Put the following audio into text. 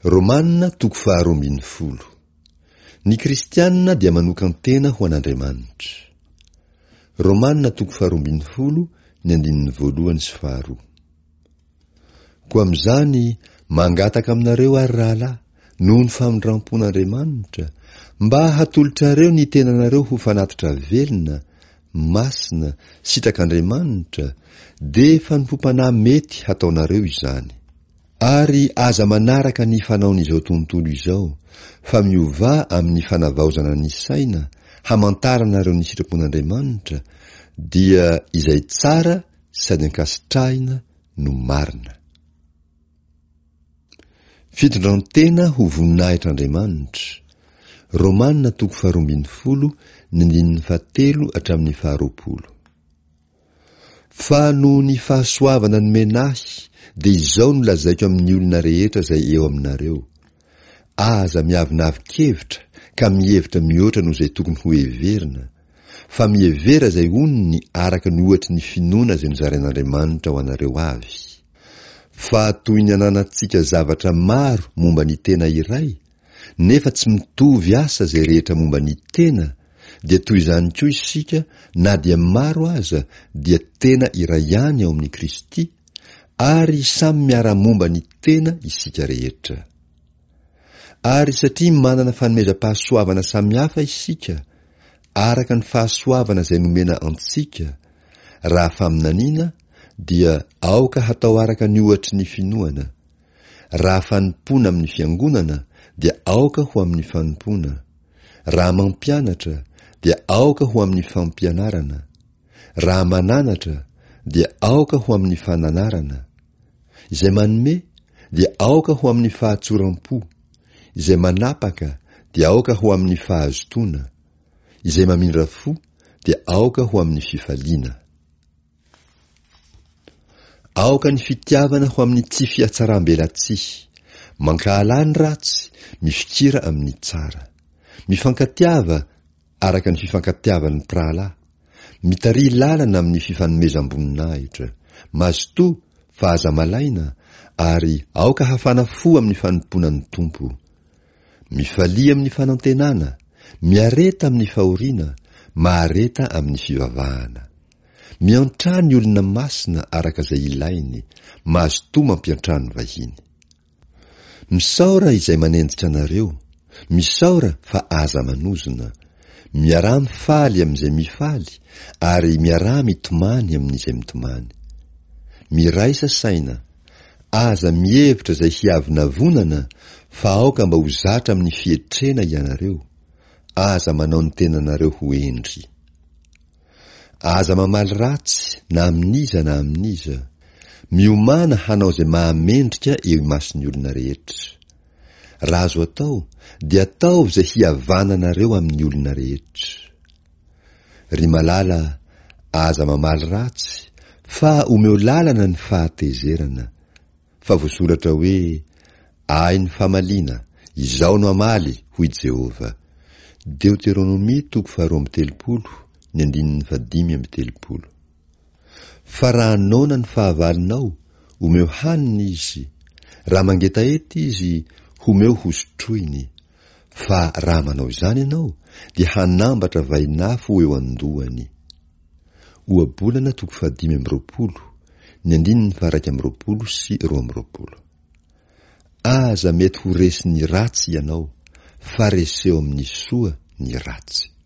Romana toko faharoa ambin'ny folo. Ny kristiana dia manokan-tena ho an'Andriamanitra. Romana toko faharoa ambin'ny folo ny andininy voalohany sy faharoa. Koa amin'izany, mangataka aminareo ary rahalahy, noho ny famindram-pon'Andriamanitra, mba hatolotrareo ny tenanareo ho fanatitra velona, masina, sitrak'Andriamanitra, dia fanompoam-panahy mety hataonareo izany. Ary aza manaraka ny fanaon'izao tontolo izao, fa miovà amin'ny fanavaozana ny saina, hamantaranareo ny sitrapon'Andriamanitra, dia izay tsara sady ankasitrahina no marina. Fitondran-tena ho voninahitr'Andriamanitra, Romana toko faharoa ambin'ny folo ny andininy fahatelo hatramin'ny faharoapolo. Fa noho ny fahasoavana nomena ahy dia izao no lazaiko amin'ny olona rehetra izay eo aminareo, Aza miavonavon-kevitra ka mihevitra mihoatra noho izay tokony ho heverina, fa mihevera izay onony araka ny ohatry ny finoana izay nozarain'Andriamanitra ho anareo avy. Fa toy ny ananantsika zavatra maro momba ny tena iray, nefa tsy mitovy asa izay rehetra momba ny tena, dia toy izany koa isika na dia maro aza dia tena iray ihany ao amin'i Kristy, ary samy miara-momba ny tena isika rehetra. Ary satria manana fanomezam-pahasoavana samihafa isika, araka ny fahasoavana izay nomena antsika, raha faminaniana, dia aoka hatao araka ny ohatry ny finoana, Raha fanompoana amin'ny fiangonana dia aoka ho amin'ny fanompoana, raha mampianatra dia aoka ho amin'ny fampianarana, raha mananatra dia aoka ho amin'ny fananarana, izay manome dia aoka ho amin'ny fahatsoram-po, izay manapaka dia aoka ho amin'ny fahazotoana, izay mamindra fo dia aoka ho amin'ny fifaliana. Aoka ny fitiavana ho amin'ny tsy fihatsaram-belatsihy. Mankahalà ny ratsy, mifikira amin'ny tsara. Mifankatiava araka ny fifankatiavan'ny mpirahalahy. Mitariha lalana amin'ny fifanomezam-boninahitra. Mazotoa fa aza malaina, ary aoka hafana fo amin'ny fanompoana ny Tompo. Mifalia amin'ny fanantenana, miareta amin'ny fahoriana, mahareta amin'ny fivavahana. Miantrà ny olona masina araka izay ilainy, mazotoa mampiantrano vahiny. Misaora izay manenjika anareo, misaora fa aza manozona. Miaraha mifaly amin'izay mifaly, ary miaraha mitomany amin'izay mitomany. Miraisa saina, aza mihevitra izay hiavonavonana fa aoka mba ho zatra amin'ny fietrena ianareo, aza manao ny tenanareo ho hendry. Aza mamaly ratsy na amin'iza na amin'iza. Miomàna hanao izay mahamendrika eo imason'ny olona rehetra. Raha azo atao, dia ataovy izay hihavananareo amin'ny olona rehetra. Ry malala, aza mamaly ratsy, fa omeo lalana ny fahatezerana. Fa voasoratra hoe, Ahy ny famaliana, Izaho no hamaly, hoy Jehovah. Deoteronomia toko faharoa amby telopolo, ny andininy fahadimy amby telopolo. Fa raha noana ny fahavalonao, omeo hanina izy, raha mangetaheta izy, homeo hosotroiny. Fa raha manao izany ianao, dia hanambatra vainafo ho eo an-dohany. Ohabolana toko fahadimy amby roapolo, ny andininy faha-iraika amby roapolo sy 22. Aza mety ho resin'ny ratsy ianao, fa reseo amin'ny soa ny ratsy.